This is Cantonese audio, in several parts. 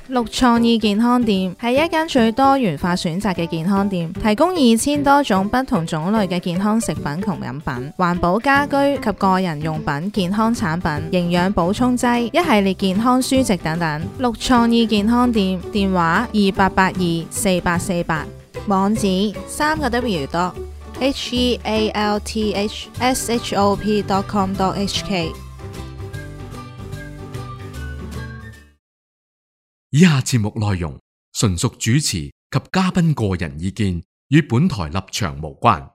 綠創意健康店係一間最多元化選擇嘅健康店，提供2000多種不同種類嘅健康食品同飲品、環保家居及個人用品、健康產品、營養補充劑、一系列健康書籍等等。綠創意健康店電話28824848，網址3個W.healthshop.com.hk。以下節目內容純屬主持及嘉賓個人意見，與本台立場無關。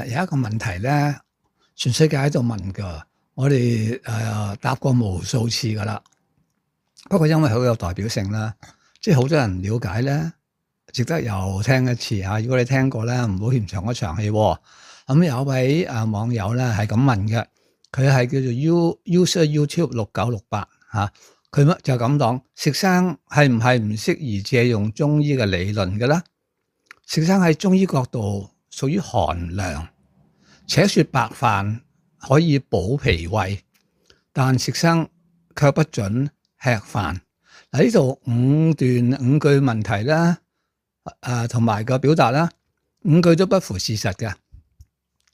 有一個問題咧，全世界喺度問噶，我哋答過無數次噶啦。不過因為好有代表性啦，即係好多人了解咧，值得又聽一次啊！如果你聽過咧，唔好嫌長嗰場戲。咁有一位網友咧係咁問嘅，佢係叫做 user YouTube 6968嚇，佢就咁講：食生係唔係唔適宜借用中醫嘅理論嘅咧？食生喺中醫角度屬於寒涼，且說白飯可以補脾胃，但食生卻不准吃飯。嗱，呢度5句問題啦，同埋個表達啦，5句都不符事實嘅。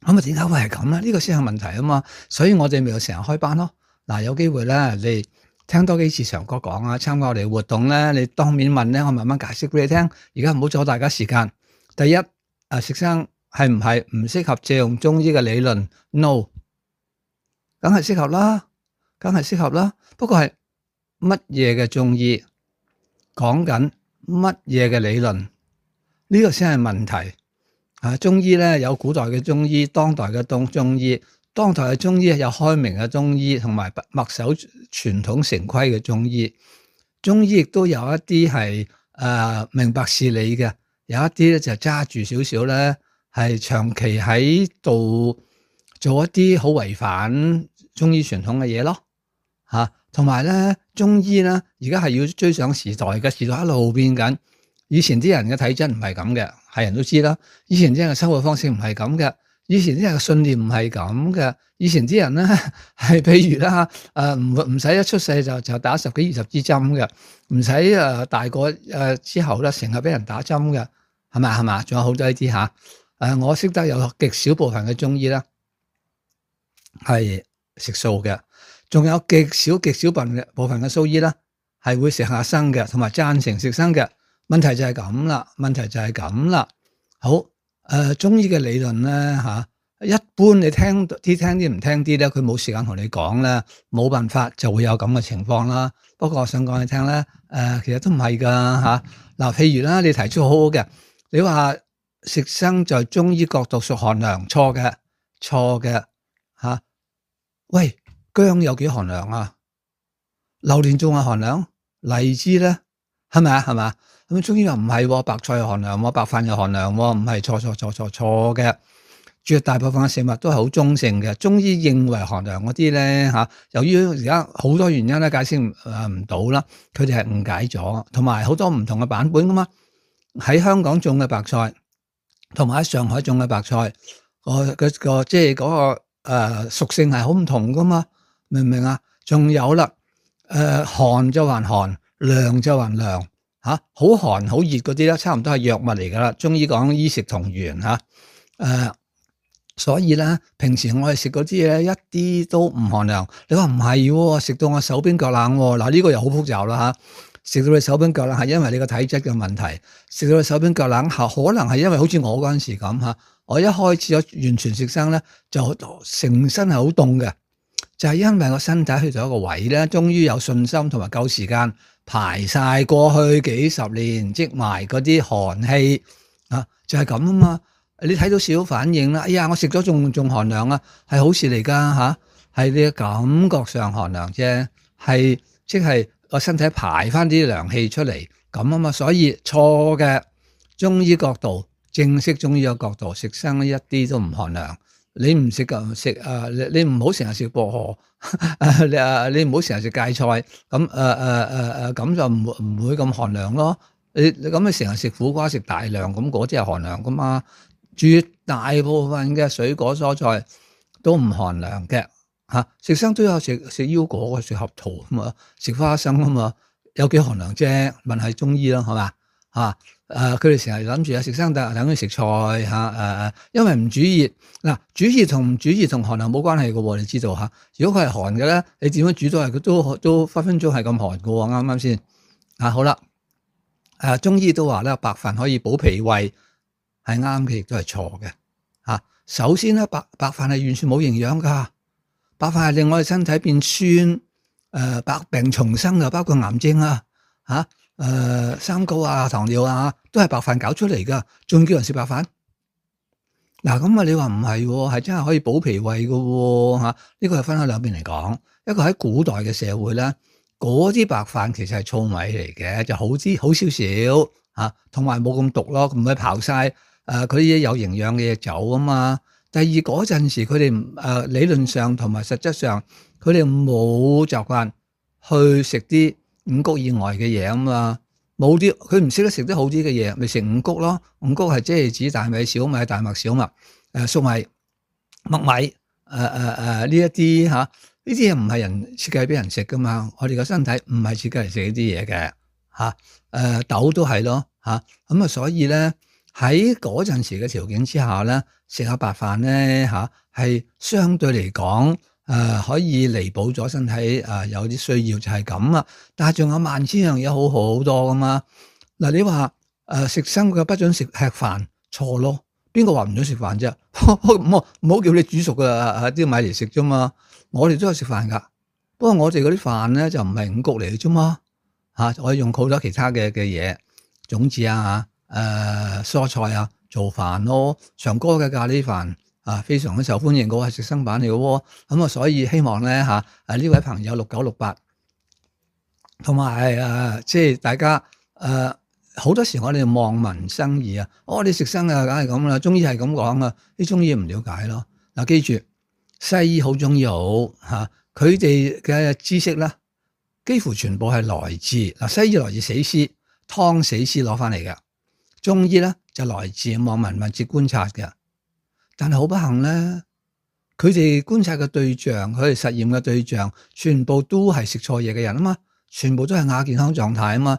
咁點解會係咁咧？呢個先係問題啊嘛，所以我哋咪要成日開班咯。嗱，有機會咧，你聽多幾次長哥講啊，參加我哋活動咧，你當面問咧，我慢慢解釋俾你聽。而家唔好阻大家時間。第一，食生係唔係唔適合借用中醫嘅理論 ？No， 梗係適合啦，梗係適合啦。不過係乜嘢嘅中醫講緊乜嘢嘅理論？呢個先係問題。中醫咧有古代嘅中醫，當代嘅中醫，當代嘅中醫有開明嘅中醫，同埋墨守傳統成規嘅中醫。中醫亦都有一啲係明白事理嘅，有一啲咧就揸住少少咧，係長期喺度做一啲好違反中醫傳統嘅嘢咯。同埋咧中醫咧而家係要追上時代嘅，時代一路變緊。以前啲人嘅體質唔係咁嘅，係人都知啦。以前啲人嘅生活方式唔係咁嘅，以前啲人嘅信念唔係咁嘅。以前啲人咧係譬如啦，唔使一出世就打10幾20支針嘅，唔使大個之後咧成日俾人打針嘅，係嘛？仲有好多呢啲嚇。我識得有極少部分嘅中醫啦係食素嘅，仲有極少部分嘅蘇醫啦係會食下生嘅，同埋贊成食生嘅。問題就係咁啦，好，中醫嘅理論咧一般你聽啲唔聽啲咧，佢冇時間同你講咧，冇辦法就會有咁嘅情況啦。不過我想講你聽咧，其實都唔係噶嗱，譬如啦，你提出好好嘅，你話食生在中醫角度屬寒涼，錯嘅喂，薑有幾寒涼啊？榴蓮仲係寒涼，荔枝咧係咪啊？咁中醫又唔係，白菜又寒涼，白飯又寒涼，唔係，錯嘅。絕大部分嘅食物都係好中性嘅。中醫認為寒涼嗰啲咧由於而家好多原因咧解釋唔到啦，佢哋係誤解咗，同埋好多唔同嘅版本噶嘛。喺香港種嘅白菜，同埋喺上海種嘅白菜，即係嗰個屬性係好唔同噶嘛，明唔明啊？仲有啦，寒就還寒，涼就還涼。好寒好熱嗰啲咧，差唔多係藥物嚟噶啦。中醫講醫食同源所以咧，平時我哋食嗰啲嘢一啲都唔寒涼。你話唔係，食到我手冰腳冷嗱，呢個又好複雜啦食到你手冰腳冷係因為你個體質嘅問題，食到你手冰腳冷可能係因為好似我嗰陣時咁我一開始咗完全食生咧，就成身係好凍嘅，就係因為個身體去到一個位咧，終於有信心同埋夠時間。排晒過去幾十年積埋嗰啲寒氣就係咁啊嘛！你睇到少少反應啦，哎呀，我食咗仲寒涼啊，係好事嚟噶係你嘅感覺上寒涼啫，係即係個身體排翻啲涼氣出嚟咁啊嘛，所以錯嘅。中醫角度，正式中醫嘅角度，食生一啲都唔寒涼。你唔食你唔好成日食薄荷，你唔好成日食芥菜，咁就唔會咁寒涼咯。你成日食苦瓜食大量，咁嗰啲係寒涼噶嘛。絕大部分嘅水果蔬菜都唔寒涼嘅嚇。食生都有食腰果嘅，食合桃啊嘛，食花生啊嘛，有幾寒涼啫？問係中醫咯，係嘛嚇？佢哋成日諗住食生等於食菜嚇因為唔煮熱嗱，煮熱同唔煮熱同寒涼冇關係嘅喎，你知道嚇。如果佢係寒嘅咧，你點樣煮都係佢都分分鐘係咁寒嘅喎，啱唔啱先？好啦，中醫都話咧，白飯可以補脾胃，係啱嘅，亦都係錯嘅嚇。首先咧，白飯係完全冇營養㗎，白飯係令我哋身體變酸，百病叢生嘅，包括癌症三高啊、糖尿啊，都係白飯搞出嚟㗎，仲叫人食白飯？嗱咁啊，你話唔係喎，係真係可以補脾胃㗎喎嚇。呢個係分開兩邊嚟講，一個喺古代嘅社會咧，嗰啲白飯其實係糙米嚟嘅，就好少少嚇，同埋冇咁毒咯，唔會刨晒佢啲有營養嘅嘢走啊嘛。第二嗰陣時，佢哋理論上同埋實質上，佢哋冇習慣去食啲五穀以外嘅嘢啊嘛，冇啲佢唔識得食啲好啲嘅嘢，咪食五穀咯。五穀係即係指大米、小米、大麥、小麥、粟米、麥米呢一啲嚇，呢啲嘢唔係人設計俾人食噶嘛。我哋個身體唔係設計嚟食呢啲嘢嘅嚇。豆都係咯嚇，咁所以咧喺嗰陣時嘅條件之下咧，食下白飯咧係相對嚟講。可以彌補咗身體有啲需要就係咁啊，但係仲有萬千樣嘢好多噶嘛。嗱，你話食生嘅不准食吃飯，錯咯。邊個話唔准食飯啫？唔好叫你煮熟嘅啲米嚟食啫嘛。我哋都有食飯噶，不過我哋嗰啲飯咧就唔係五穀嚟嘅啫嘛。我用好多其他嘅嘢，種子蔬菜做飯咯。長哥嘅咖喱飯。非常之受歡迎嘅喎，係食生版嚟嘅喎，咁所以希望咧呢位朋友6968，同埋即係大家好多時我哋望文生義你食生梗係咁啦，中醫係咁講啲中醫唔了解咯。記住西醫好中醫好佢哋嘅知識咧，幾乎全部係來自西醫來自死屍湯死屍攞翻嚟嘅，中醫咧就來自望聞問切觀察嘅。但係好不幸咧，佢哋觀察嘅對象，佢哋實驗嘅對象，全部都係食錯嘢嘅人啊嘛，全部都係亞健康狀態啊嘛。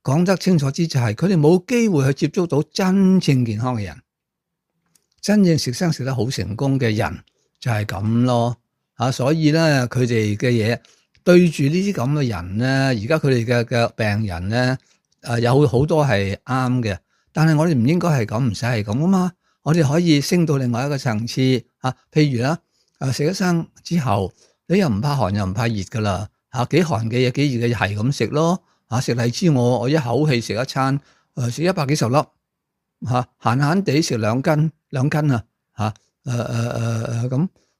講得清楚啲就係，佢哋冇機會去接觸到真正健康嘅人，真正食生食得好成功嘅人就係咁咯。所以咧，佢哋嘅嘢對住呢啲咁嘅人咧，而家佢哋嘅病人咧，有好多係啱嘅，但係我哋唔應該係咁，唔使係咁啊嘛。我哋可以升到另外一個層次譬如啦，食咗生之後，你又唔怕寒又唔怕熱噶啦幾寒嘅嘢幾熱嘅嘢係咁食咯食荔枝我一口氣食一餐食100幾十粒閒閒地食兩斤咁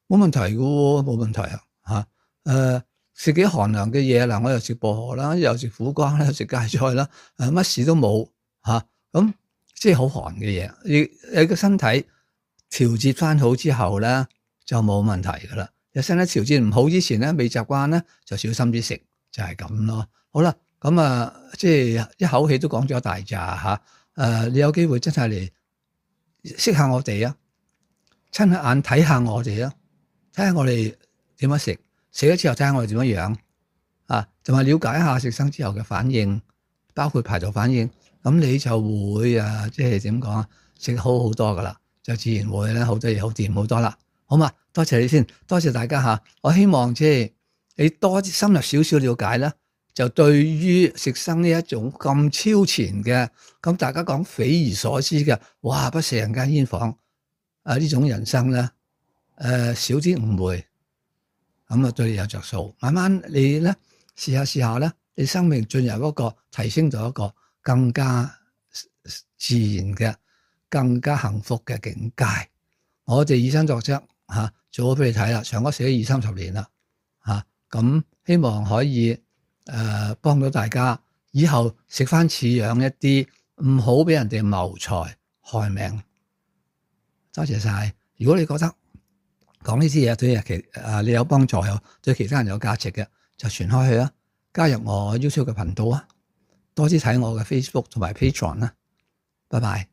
冇問題嘅喎，冇問題食幾寒涼嘅嘢嗱，我又食薄荷啦，又食苦瓜啦，又食芥菜啦，乜事都冇咁。即係好寒嘅嘢，你個身體調節翻好之後咧，就冇問題噶啦。你身體調節唔好之前咧，未習慣咧，就小心啲食，就係咁咯。好啦，咁即係一口氣都講咗一大扎你有機會真係嚟識下我哋親眼睇下我哋睇下我哋點樣食咗之後睇下我哋點樣樣同埋了解一下食生之後嘅反應，包括排毒反應。咁你就會即係點講食好多噶啦，就自然會咧好多嘢好掂好多啦，好嘛？多謝你先，多謝大家我希望即係你多深入少少了解啦，就對於食生呢一種咁超前嘅，咁大家講匪夷所思嘅，哇！不食人間煙火呢種人生咧，少啲誤會，咁對你有着數。慢慢你咧試下咧，你生命進入一個提升到一個更加自然嘅、更加幸福嘅境界。我哋以身作則做咗俾你睇啦，長哥寫咗20-30年啦咁希望可以幫到大家，以後食翻似樣一啲，唔好俾人哋謀財害命。多謝晒。如果你覺得講呢啲嘢對你有幫助，又對其他人有價值嘅，就傳開去加入我 YouTube 嘅頻道多啲睇我嘅 Facebook 同埋 Patreon 拜拜。